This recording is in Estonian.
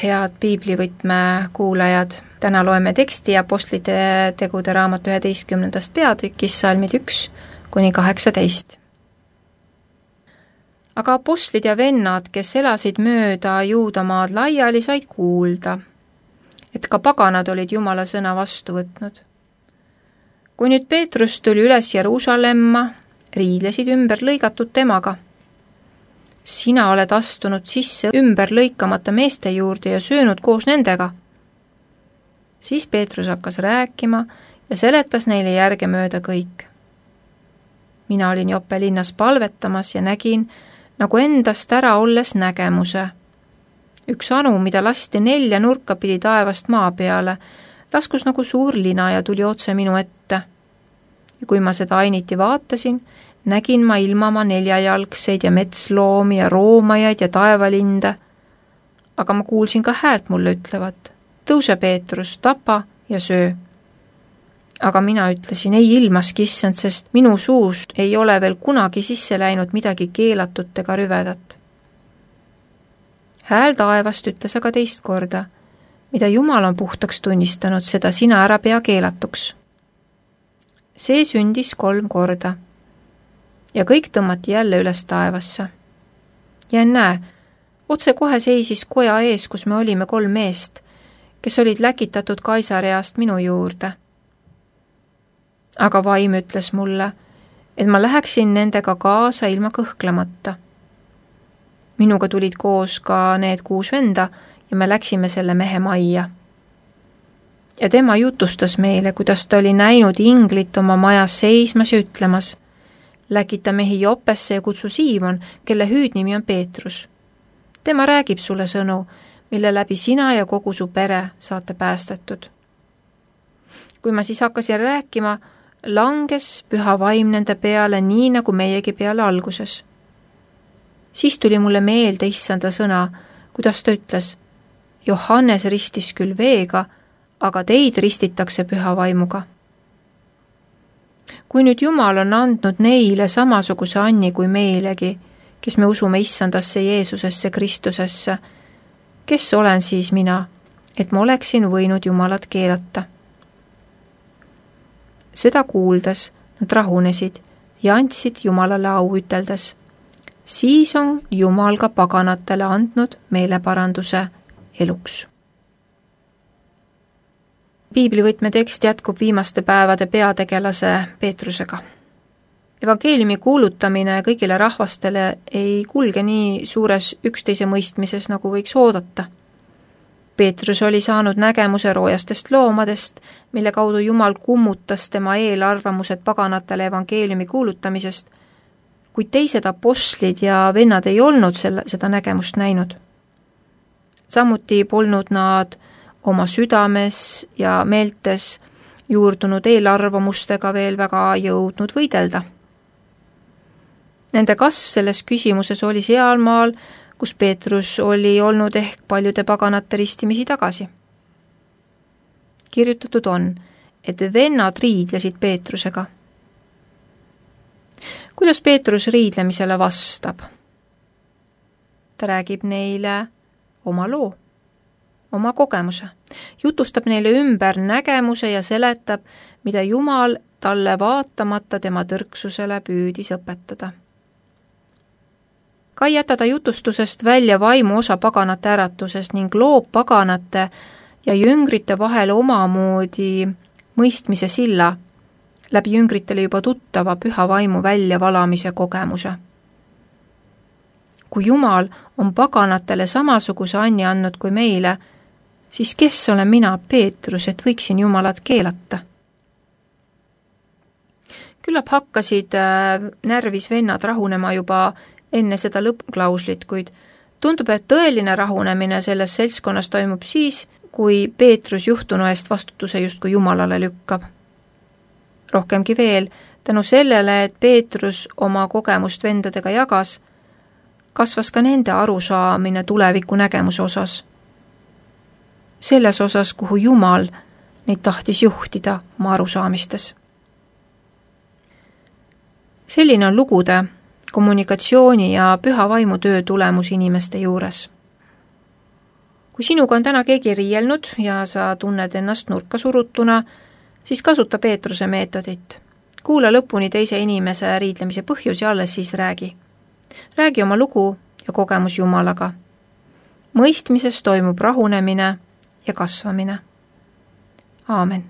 head piiblivõtme kuulajad! Täna loeme teksti Apostlite tegude raamatu 11. peatükis salmid 1–18. Aga apostlid ja vennad, kes elasid mööda Juudamaad laiali, said kuulda, et ka paganad olid Jumala sõna vastu võtnud. Kui nüüd Peetrus tuli üles Jeruusalemma, riidlesid ümber lõigatud temaga. Sina oled astunud sisse ümber lõikamata meeste juurde ja söönud koos nendega. Siis Peetrus hakkas rääkima ja seletas neile järgemööda kõik. Mina olin Joppe linnas palvetamas ja nägin, nagu endast ära olles nägemuse. Üks anu, mida lasti 4 nurka pidi taevast maa peale, laskus nagu suur lina ja tuli otse minu ette. Ja kui ma seda ainiti vaatasin, nägin ma ilmama 4-jalgseid ja metsloomi ja roomajaid ja taevalinde, aga ma kuulsin ka häält mulle ütlevat, tõuse Peetrus, tapa ja söö. Aga mina ütlesin, ei ilmaski issand, sest minu suust ei ole veel kunagi sisse läinud midagi keelatut ega rüvedat. Hääl taevast ütles aga teist korda, mida Jumal on puhtaks tunnistanud, seda sina ära pea keelatuks. See sündis 3 korda. Ja kõik tõmmati jälle üles taevasse. Ja näe, otse kohe seisis koja ees, kus me olime 3 meest, kes olid läkitatud Kaisareast minu juurde. Aga vaim ütles mulle, et ma läheksin nendega kaasa ilma kõhklemata. Minuga tulid koos ka need 6 venda ja me läksime selle mehe majja. Ja tema jutustas meile, kuidas ta oli näinud inglit oma majas seismas ja ütlemas, läkita mehi Joppesse ja kutsu Siimon, kelle hüüdnimi on Peetrus. Tema räägib sulle sõnu, mille läbi sina ja kogu su pere saate päästetud. Kui ma siis hakkasin rääkima, langes püha vaim nende peale nii, nagu meiegi peale alguses. Siis tuli mulle meelde issanda sõna, kuidas ta ütles, Johannes ristis küll veega, aga teid ristitakse püha vaimuga. Kui nüüd Jumal on andnud neile samasuguse anni kui meilegi, kes me usume issandasse Jeesusesse Kristusesse, kes olen siis mina, et ma oleksin võinud Jumalat keelata? Seda kuuldes nad rahunesid ja andsid Jumalale au üteldes. Siis on Jumal ka paganatele andnud meeleparanduse eluks. Piiblivõtme tekst jätkub viimaste päevade peategelase Peetrusega. Evangeeliumi kuulutamine kõigile rahvastele ei kulge nii suures üksteise mõistmises, nagu võiks oodata. Peetrus oli saanud nägemuse roojastest loomadest, mille kaudu Jumal kummutas tema eelarvamused paganatele evangeeliumi kuulutamisest, kuid teised apostlid ja vennad ei olnud seda nägemust näinud. Samuti polnud nad oma südames ja meeltes juurdunud eelarvamustega veel väga jõudnud võidelda. Nende kasv selles küsimuses oli sealmaal, kus Peetrus oli olnud ehk paljude paganate ristimisi tagasi. Kirjutatud on, et vennad riidlesid Peetrusega. Kuidas Peetrus riidlemisele vastab? Ta räägib neile oma loo, oma kogemuse, jutustab neile ümber nägemuse ja seletab, mida Jumal talle vaatamata tema tõrksusele püüdis õpetada. Ka ei jäta ta jutustusest välja vaimu osa paganate äratusest ning loob paganate ja jüngrite vahel omamoodi mõistmise silla, läbi jüngritele juba tuttava püha vaimu väljavalamise kogemuse. Kui Jumal on paganatele samasuguse anni andnud kui meile, siis kes olen mina, Peetrus, et võiksin Jumalat keelata? Küllap hakkasid närvis vennad rahunema juba enne seda lõppklauslit, kuid tundub, et tõeline rahunemine selles seltskonnas toimub siis, kui Peetrus juhtunu eest vastutuse justkui Jumalale lükkab. Rohkemgi veel, tänu sellele, et Peetrus oma kogemust vendadega jagas, kasvas ka nende arusaamine tuleviku nägemuse osas. Selles osas, kuhu Jumal neid tahtis juhtida oma arusaamistes. Selline on lugude, kommunikatsiooni ja püha vaimu töö tulemus inimeste juures. kui sinuga on täna keegi riielnud ja sa tunned ennast nurka surutuna, siis kasuta Peetruse meetodit. Kuula lõpuni teise inimese riidlemise põhjus ja alles siis räägi. Räägi oma lugu ja kogemus Jumalaga. Mõistmises toimub rahunemine ja kasvamine. Aamen.